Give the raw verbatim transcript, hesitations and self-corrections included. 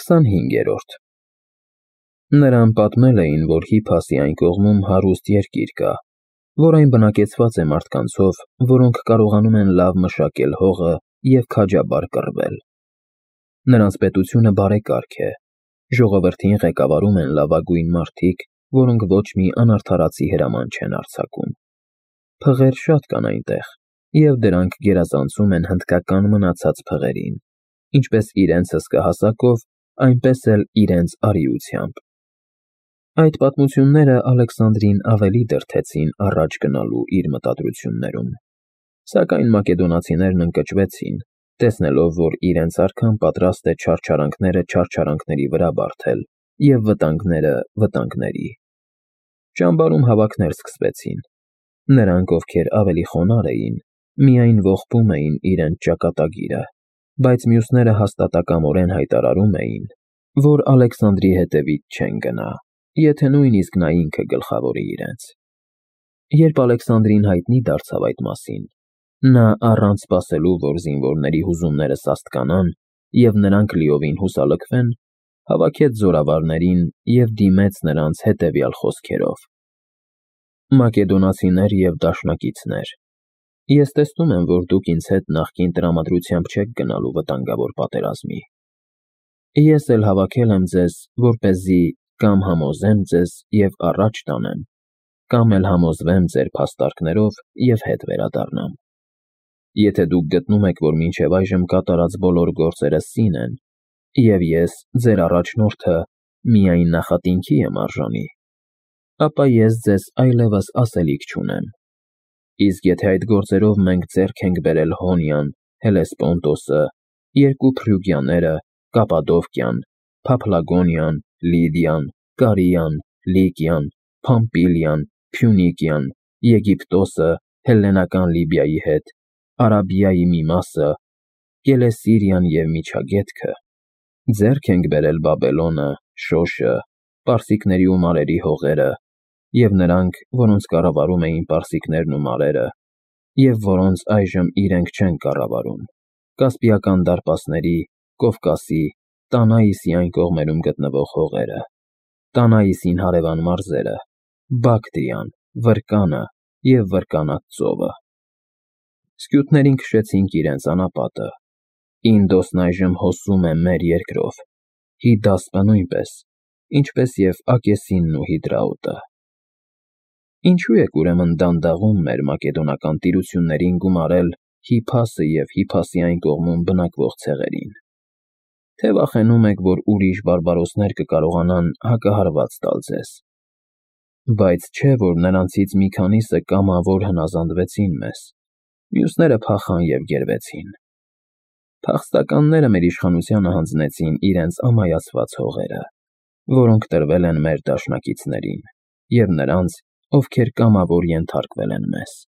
քսանհինգերորդ Նրան պատմել էին, որ Հիփասի այն կողմում հարուստ երկիր կա, որ այն բնակեցված է մարդկանցով, որոնք կարողանում են լավ մշակել հողը և քաջաբար կռվել։ Նրանց պետությունը բարեկարգ է, ժողովրդին ղեկավարում են լավագույն մարդիկ, որոնք ոչ մի անարդարացի հրաման չեն արձակում։ Փղեր շատ կան այնտեղ, և դրանք գերազանցում են հնդկական մնացած փղերին, ինչպես իրենց հսկահասակով, այնպես էլ իրենց արիությամբ։ Այդ պատմությունները Ալեքսանդրին ավելի դրդեցին առաջ գնալու իր մտադրություններում, սակայն մակեդոնացիներն ընկճվեցին, տեսնելով, որ իրենց արքան պատրաստ է չարչարանքները չարչարանքների վրա բարդել և վտանգները վտանգների։ Ճամբարում հավաքներ սկսվեցին։ Նրանք, ովքեր ավելի խոնարհ էին, միայն ողբում էին իրենց ճակատագիրը, բայց մյուսները հաստատակամորեն հայտարարում էին, որ Ալեքսանդրի հետևից չեն գնա, եթե նույնիսկ նա ինքը գլխավորի իրենց։ Երբ Ալեքսանդրին հայտնի դարձավ այդ մասին, նա առանց սպասելու, որ զինվորների հուզումները սաստկանան և նրանք լիովին հուսալքվեն, հավաքեց զորավարներին և դիմեց նրանց հետևյալ խոսքերով. «Մակեդոնացիներ և դաշնակիցներ, ես տեսնում եմ, որ դուք ինձ հետ նախկին տրամադրությամբ չեք գնալու վտանգավոր պատերազմի։ Ես էլ հավաքել եմ ձեզ, որպեսզի կամ համոզեմ ձեզ և առաջ տանեմ, կամ էլ համոզվեմ ձեր փաստարկներով և հետ վերադառնամ։ Եթե դուք գտնում եք, որ մինչև այժմ կատարած բոլոր գործերը սին են, և ես, ձեր առաջնորդը, միայն նախատինքի եմ արժանի, ապա ես ձեզ այլևս ասելիք չունեմ։ Իսկ եթե այդ գործերով մենք ձեռք ենք բերել Հոնիան, Հելեսպոնտոսը, երկու Փրյուգիաները, Կապադովկիան, Փափլագոնիան, Լիդիան, Կարիան, Լիկիան, Փամփիլիան, Փյունիկիան, Եգիպտոսը, հելլենական Լիբիայի հետ, Արաբիայի մի մասը, Կելեսիրիան և Միջագետքը, ձեռք ենք բերել Բաբելոնը, Շոշը, պարսիկների ու մարերի հողերը, և նրանք, որոնց կառավարում էին պարսիկներն ու մարերը, և որոնց այժմ իրենք չեն կառավարում, Կասպիական դարպասների, Կովկասի, Տանայիսի այն կողմերում գտնվող հողերը, Տանայիսին հարևան մարզերը, Բակտրիան, Վրկանը և Վրկանած ծովը։ Սկյութներին քշեցինք իրենց անապատը, Ինդոսն այժմ հոսում է մեր երկրով, Հիդասպը նույնպես, ինչպես և Ակեսինն ու Հիդրաուտը։ Ինչո՞ւ եք ուրեմն դանդաղում մեր մակեդոնական տիրություններին գումարել Հիփասը և Հիփասի այն կողմում բնակվող ցեղերին։ Թե վախենում եք, որ ուրիշ բարբարոսներ կկարողանան հակահարված տալ ձեզ։ Բայց չէ՞ որ նրանցից մի քանիսը կամավոր հնազանդվեցին մեզ, մյուսները փախան և գերվեցին։ Փախստականները մեր իշխանությանը հանձնեցին իրենց ամայացված հողերը, որոնք տրվել են մեր դաշնակիցներին, և նրանց, ովքեր կամավոր ենթարկվել են մեզ։